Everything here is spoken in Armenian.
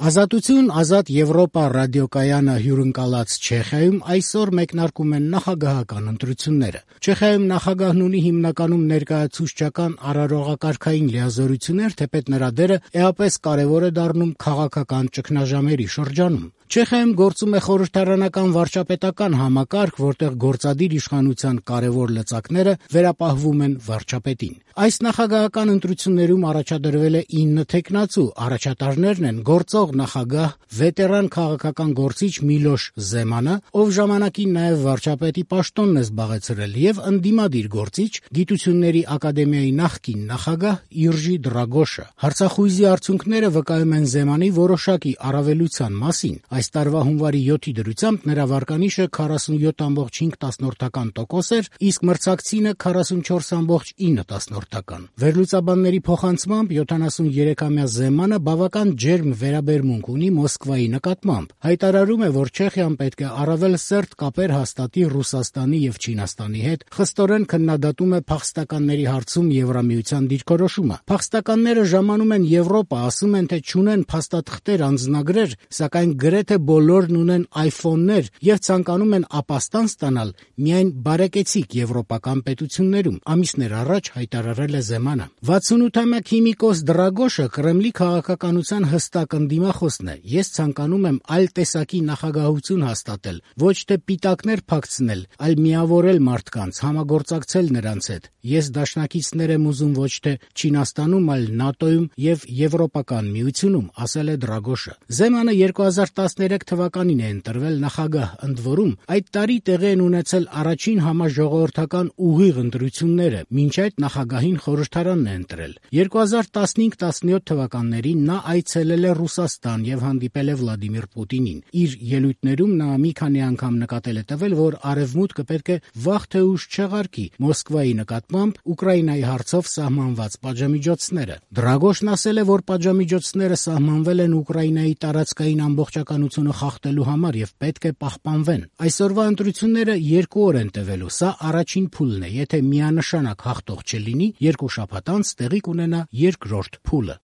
Ազատություն, ազատ Եվրոպա ռադիոկայանը հյուրընկալած Չեխիայում այսօր մեկնարկում են նախագահական ընտրությունները։ Չեխիայում նախագահն ունի հիմնականում ներկայացուցչական արարողակարգային լիազորություններ, թեպետ նրա դերը էապես կարևոր է դառնում քաղաքական ճգնաժամերի շրջանում։ Չեխիայում գործում է խորհրդարանական վարչապետական համակարգ, որտեղ գործադիր իշխանության կարևոր լծակները վերապահվում են վարչապետին։ Այս նախագահական ընտրություններում առաջադրվել է 9 թեկնածու, առաջատարներն են գործող նախագահ, վետերան քաղաքական գործիչ Միլոշ Զեմանը, ով ժամանակին նաև վարչապետի պաշտոնն է զբաղեցրել, եւ ընդդիմադիր գործիչ, Գիտությունների ակադեմիայի նախկին նախագահ Իրժի Դրագոշը։ Հարցախույզի արդյունքները վկայում են Զեմանի որոշակի առավելության մասին։ Այս տարվա հունվարի 7-ի դրությամբ նրա վարկանիշը 47,5% էր, իսկ մրցակցինը 44,9%։ Վերլուծաբանների փոխանցմամբ 73-ամյա Զեմանը բավական ջերմ վերաբերմունք ունի Մոսկվայի նկատմամբ։ Հայտարարում է, որ Չեխիան պետք է առավել սերտ կապեր հաստատի Ռուսաստանի եւ Չինաստանի հետ, խստորեն քննադատում է փախստականների հարցում Եվրամիության դիրքորոշումը։ Փախստականները ժամանում են Եվրոպա, ասում են, թե չունեն փաստաթղթեր, անձնագրեր, սակայն գրեթե բոլորն ունեն iPhone-ներ եւ ցանկանում են ապաստան ստանալ միայն բարեկեցիկ եվրոպական պետություններում, ամիսներ առաջ հայտարարել է Զեմանը։ 68-ամյա քիմիկոս Դրագոշը Կրեմլի քաղաքականության հստակ ընդդիմախոսն է։ Ես ցանկանում եմ այլ տեսակի նախագահություն հաստատել, ոչ թե պիտակներ փակցնել, այլ միավորել մարդկանց, համագործակցել նրանց հետ։ Ես դաշնակիցներ եմ ուզում ոչ թե Չինաստանում, այլ ՆԱՏՕ-ում եւ Եվրոպական միությունում, ասել է Դրագոշը։ Զեմանը 2013 թվականին է ընտրվել նախագահ, ընդ որում այդ տարի տեղի են ունեցել առաջին համաժողովրդական ուղիղ ընտրությունները, մինչ այդ նախագահին խորհրդարանն է ընտրել։ 2015-17 թվականներին նա այցելել է Ռուսաստան եւ հանդիպել է Վլադիմիր Պուտինին։ Իր ելույթներում նա մի քանի անգամ նկատել է տվել, որ Արևմուտքը պետք է վաղ թե ուշ չեղարկի Մոսկվայի նկատմամբ Ուկրաինայի հարցով սահմանված պատժամիջոցները։ Դրագոշն ասել է, որ պատժամիջոցները սահմանվել են Ուկրաինայի տարածքային ամբողջականությունը խախտելու համար եւ պետք է պահպանվեն։ Այսօրվա ընտրությունները 2 օր են տևելու, սա առաջին փուլն է։ Եթե միանշանակ հաղթող չլինի, 2 շաբաթ անց տեղի կունենա երկրորդ փուլը։